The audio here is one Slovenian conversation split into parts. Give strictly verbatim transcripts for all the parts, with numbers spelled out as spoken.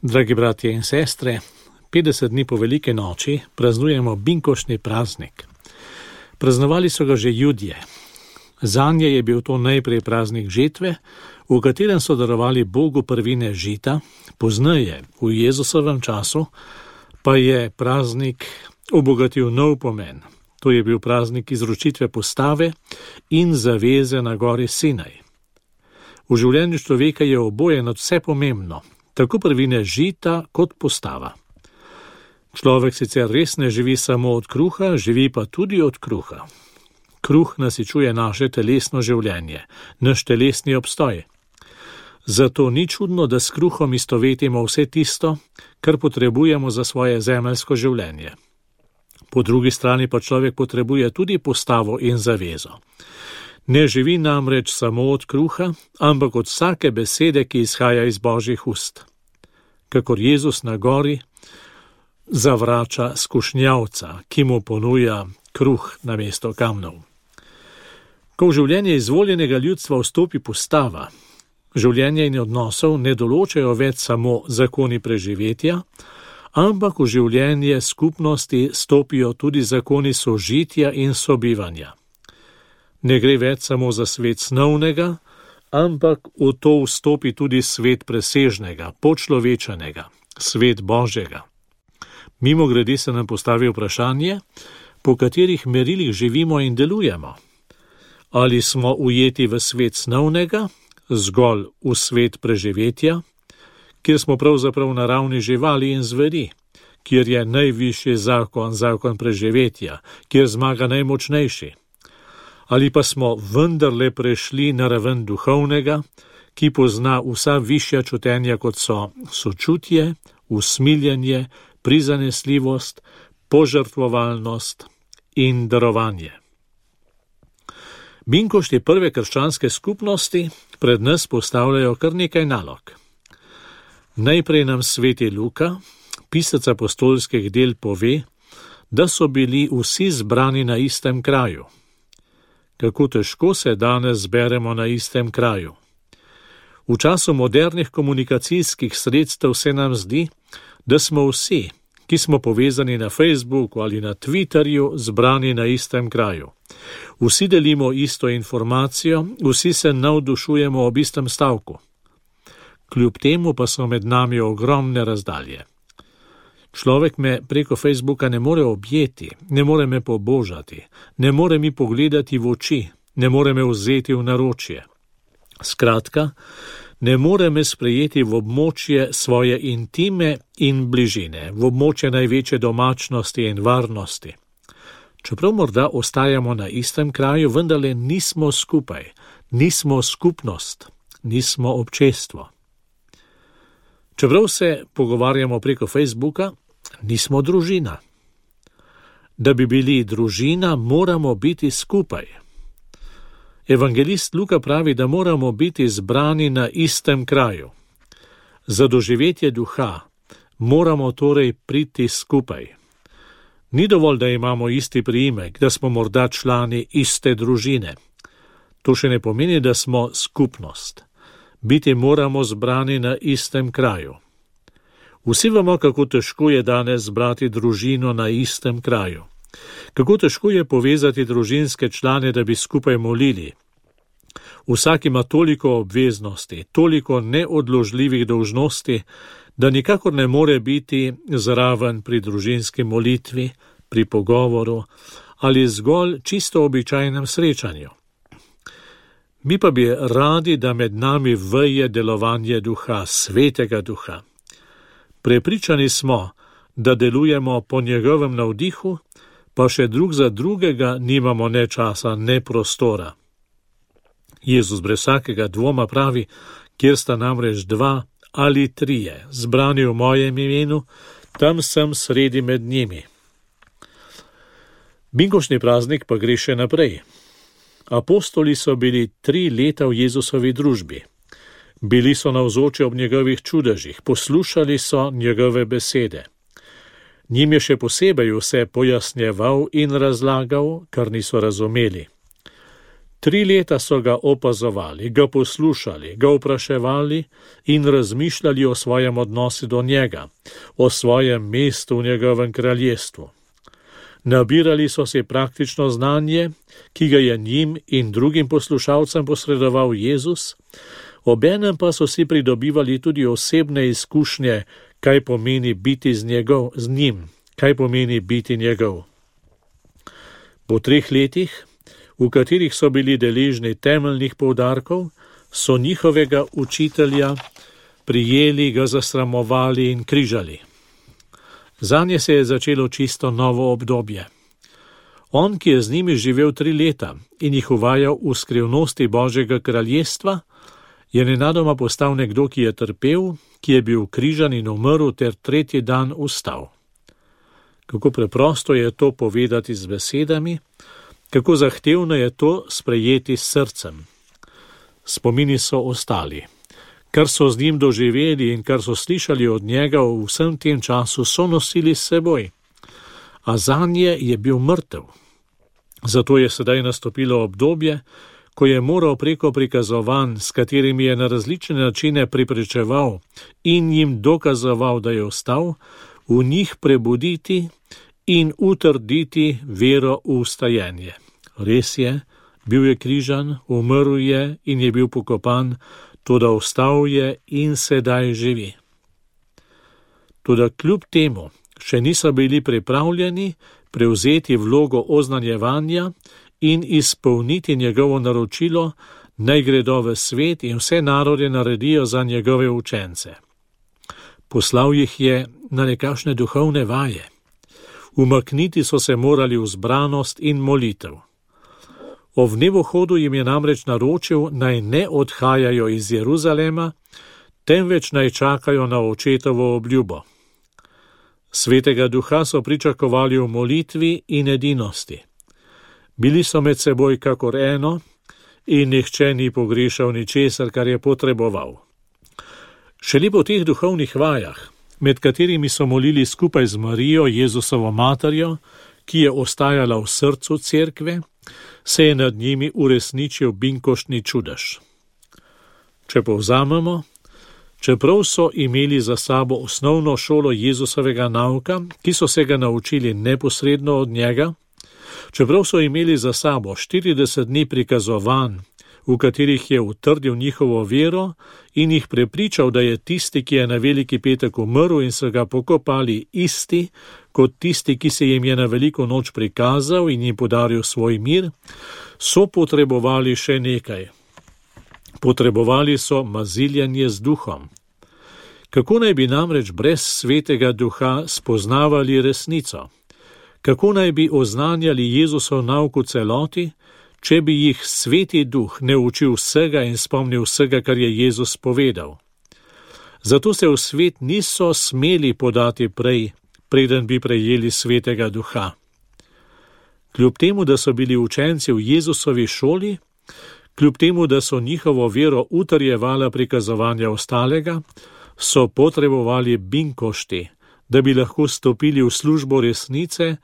Dragi bratje in sestre, petdeset dni po velike noči praznujemo binkoštni praznik. Praznovali so ga že Judje. Zanje je bil to najprej praznik žetve, v katerem so darovali Bogu prvine žita, pozneje, v Jezusovem času, pa je praznik obogatil nov pomen. To je bil praznik izročitve postave in zaveze na gori Sinaj. V življenju človeka je oboje nadvse pomembno, tako prvine žita kot postava. Človek sicer res ne živi samo od kruha, živi pa tudi od kruha. Kruh nasičuje naše telesno življenje, naš telesni obstoj. Zato ni čudno, da s kruhom istovetimo vse tisto, kar potrebujemo za svoje zemeljsko življenje. Po drugi strani pa človek potrebuje tudi postavo in zavezo. Ne živi namreč samo od kruha, ampak od vsake besede, ki izhaja iz Božjih ust. Kakor Jezus na gori zavrača skušnjavca, ki mu ponuja kruh namesto kamnov. Ko v življenje izvoljenega ljudstva vstopi postava, življenje in odnosov ne določajo več samo zakoni preživetja, ampak v življenje skupnosti stopijo tudi zakoni sožitja in sobivanja. Ne gre več samo za svet snovnega, ampak v to vstopi tudi svet presežnega, počlovečenega, svet Božjega. Mimogrede se nam postavi vprašanje, po katerih merilih živimo in delujemo. Ali smo ujeti v svet snovnega, zgolj v svet preživetja, kjer smo pravzaprav naravni živali in zveri, kjer je najvišji zakon, zakon preživetja, kjer zmaga najmočnejši. Ali pa smo vendarle prešli na raven duhovnega, ki pozna vsa višja čutenja, kot so sočutje, usmiljenje, prizanesljivost, požrtvovalnost in darovanje. Binkošti prve krščanske skupnosti pred nas postavljajo kar nekaj nalog. Najprej nam sveti Luka, pisec apostolskih del, pove, da so bili vsi zbrani na istem kraju. Kako težko se danes zberemo na istem kraju. V času modernih komunikacijskih sredstev se nam zdi, da smo vsi, ki smo povezani na Facebooku ali na Twitterju, zbrani na istem kraju. Vsi delimo isto informacijo, vsi se navdušujemo ob istem stavku. Kljub temu pa so med nami ogromne razdalje. Človek me preko Facebooka ne more objeti, ne more me pobožati, ne more mi pogledati v oči, ne more me vzeti v naročje. Skratka, ne more me sprejeti v območje svoje intime in bližine, v območje največje domačnosti in varnosti. Čeprav morda ostajamo na istem kraju, vendarle nismo skupaj, nismo skupnost, nismo občestvo. Čeprav se pogovarjamo preko Facebooka, nismo družina. Da bi bili družina, moramo biti skupaj. Evangelist Luka pravi, da moramo biti zbrani na istem kraju. Za doživetje duha moramo torej priti skupaj. Ni dovolj, da imamo isti priimek, da smo morda člani iste družine. To še ne pomeni, da smo skupnost. Biti moramo zbrani na istem kraju. Vsi vemo, kako težko je danes zbrati družino na istem kraju. Kako težko je povezati družinske člane, da bi skupaj molili. Vsak ima toliko obveznosti, toliko neodložljivih dolžnosti, da nikakor ne more biti zraven pri družinski molitvi, pri pogovoru ali zgolj čisto običajnem srečanju. Mi pa bi radi, da med nami veje delovanje duha, svetega duha. Prepričani smo, da delujemo po njegovem navdihu, pa še drug za drugega nimamo ne časa, ne prostora. Jezus brez vsakega dvoma pravi, kjer sta namreč dva ali trije, zbrani v mojem imenu, tam sem sredi med njimi. Binkoštni praznik pa gre še naprej. Apostoli so bili tri leta v Jezusovi družbi. Bili so navzoči ob njegovih čudežih, poslušali so njegove besede. Njim je še posebej vse pojasnjeval in razlagal, kar niso razumeli. Tri leta so ga opazovali, ga poslušali, ga vpraševali in razmišljali o svojem odnosu do njega, o svojem mestu v njegovem kraljestvu. Nabirali so si praktično znanje, ki ga je njim in drugim poslušalcem posredoval Jezus, obenem pa so si pridobivali tudi osebne izkušnje, kaj pomeni biti z, njegov, z njim, kaj pomeni biti njegov. Po treh letih, v katerih so bili deležni temeljnih poudarkov, so njihovega učitelja prijeli, ga zasramovali in križali. Zanje se je začelo čisto novo obdobje. On, ki je z njimi živel tri leta in jih uvajal v skrivnosti Božjega kraljestva, je nenadoma postal nekdo, ki je trpel, ki je bil križan in umrl ter tretji dan vstal. Kako preprosto je to povedati z besedami, kako zahtevno je to sprejeti s srcem. Spomini so ostali. Kar so z njim doživeli in kar so slišali od njega v vsem tem času, so nosili s seboj. A zanje je bil mrtev. Zato je sedaj nastopilo obdobje, ko je moral preko prikazovanj, s katerimi je na različne načine pripričeval in jim dokazoval, da je vstal, v njih prebuditi in utrditi vero v vstajenje. Res je, bil je križan, umrl je in je bil pokopan, toda vstal je in sedaj živi. Toda kljub temu še niso bili pripravljeni prevzeti vlogo oznanjevanja in izpolniti njegovo naročilo, naj gredo v svet in vse narode naredijo za njegove učence. Poslal jih je na nekakšne duhovne vaje. Umakniti so se morali v zbranost in molitev. O vnebohodu jim je namreč naročil, naj ne odhajajo iz Jeruzalema, temveč naj čakajo na očetovo obljubo. Svetega duha so pričakovali v molitvi in edinosti. Bili so med seboj kakor eno in nihče ni pogrešal ničesar, kar je potreboval. Šele po teh duhovnih vajah, med katerimi so molili skupaj z Marijo, Jezusovo materjo, ki je ostajala v srcu cerkve, se je nad njimi uresničil binkoštni čudež. Če povzamemo, čeprav so imeli za sabo osnovno šolo Jezusovega nauka, ki so se ga naučili neposredno od njega, čeprav so imeli za sabo štirideset dni prikazovanj, v katerih je utrdil njihovo vero in jih prepričal, da je tisti, ki je na Veliki petek umrl in so ga pokopali, isti, kot tisti, ki se jim je na Veliko noč prikazal in jim podaril svoj mir, so potrebovali še nekaj. Potrebovali so maziljanje z duhom. Kako naj bi namreč brez svetega duha spoznavali resnico? Kako naj bi oznanjali Jezusov nauk v celoti, če bi jih sveti duh ne učil vsega in spomnil vsega, kar je Jezus povedal? Zato se v svet niso smeli podati prej, preden bi prejeli svetega duha. Kljub temu, da so bili učenci v Jezusovi šoli, kljub temu, da so njihovo vero utrjevala prikazovanja ostalega, so potrebovali binkošti, da bi lahko stopili v službo resnice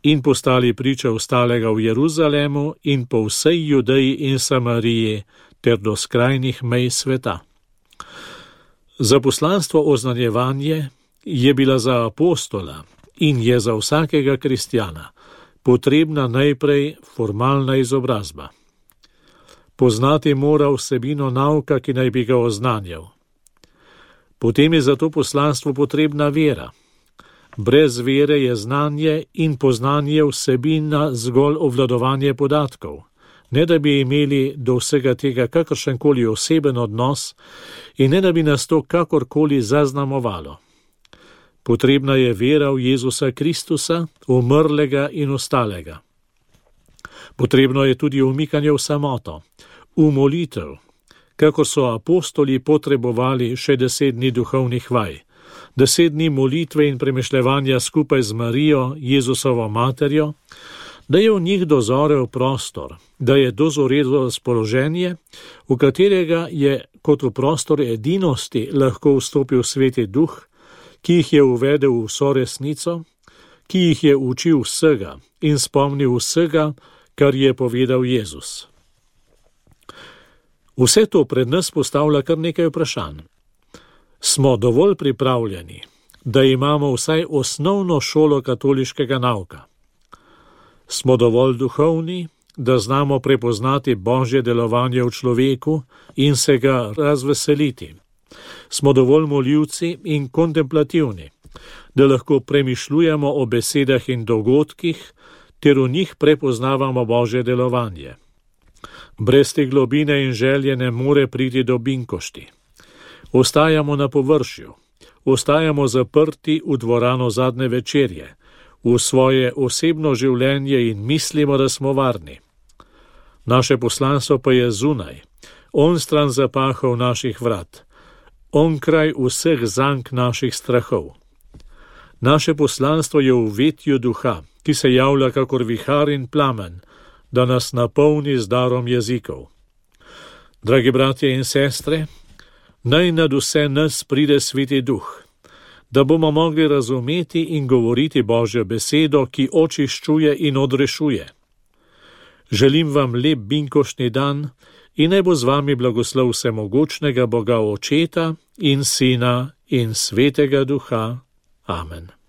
in postali priče ostalega v Jeruzalemu in po vsej Judeji in Samariji ter do skrajnih mej sveta. Za poslanstvo oznanjevanje je bila za apostola in je za vsakega kristjana potrebna najprej formalna izobrazba. Poznati mora vsebino nauka, ki naj bi ga oznanjal. Potem je za to poslanstvo potrebna vera. Brez vere je znanje in poznanje vsebina zgolj obvladovanje podatkov, ne da bi imeli do vsega tega kakršenkoli oseben odnos in ne da bi nas to kakorkoli zaznamovalo. Potrebna je vera v Jezusa Kristusa, umrlega in ostalega. Potrebno je tudi umikanje v samoto, v molitev, kakor so apostoli potrebovali še deset dni duhovnih vaj, deset dni molitve in premišljevanja skupaj z Marijo, Jezusovo materjo, da je v njih dozorel prostor, da je dozorelo razpoloženje, v katerega je kot v prostor edinosti lahko vstopil sveti duh, ki jih je uvedel v vso resnico, ki jih je učil vsega in spomnil vsega, kar je povedal Jezus. Vse to pred nas postavlja kar nekaj vprašanj. Smo dovolj pripravljeni, da imamo vsaj osnovno šolo katoliškega nauka? Smo dovolj duhovni, da znamo prepoznati Božje delovanje v človeku in se ga razveseliti? Smo dovolj moljivci in kontemplativni, da lahko premišljujemo o besedah in dogodkih, ter v njih prepoznavamo Božje delovanje? Brez te globine in želje ne more priti do binkošti. Ostajamo na površju, ostajamo zaprti v dvorano zadnje večerje, v svoje osebno življenje in mislimo, da smo varni. Naše poslanstvo pa je zunaj, onstran zapahov naših vrat, onkraj vseh zank naših strahov. Naše poslanstvo je v vetju duha, ki se javlja kakor vihar in plamen, da nas napolni z darom jezikov. Dragi bratje in sestre, naj nad vse nas pride Sveti Duh, da bomo mogli razumeti in govoriti Božjo besedo, ki očiščuje in odrešuje. Želim vam lep binkoštni dan in naj bo z vami blagoslov vsemogočnega Boga Očeta in Sina in Svetega Duha. Amen.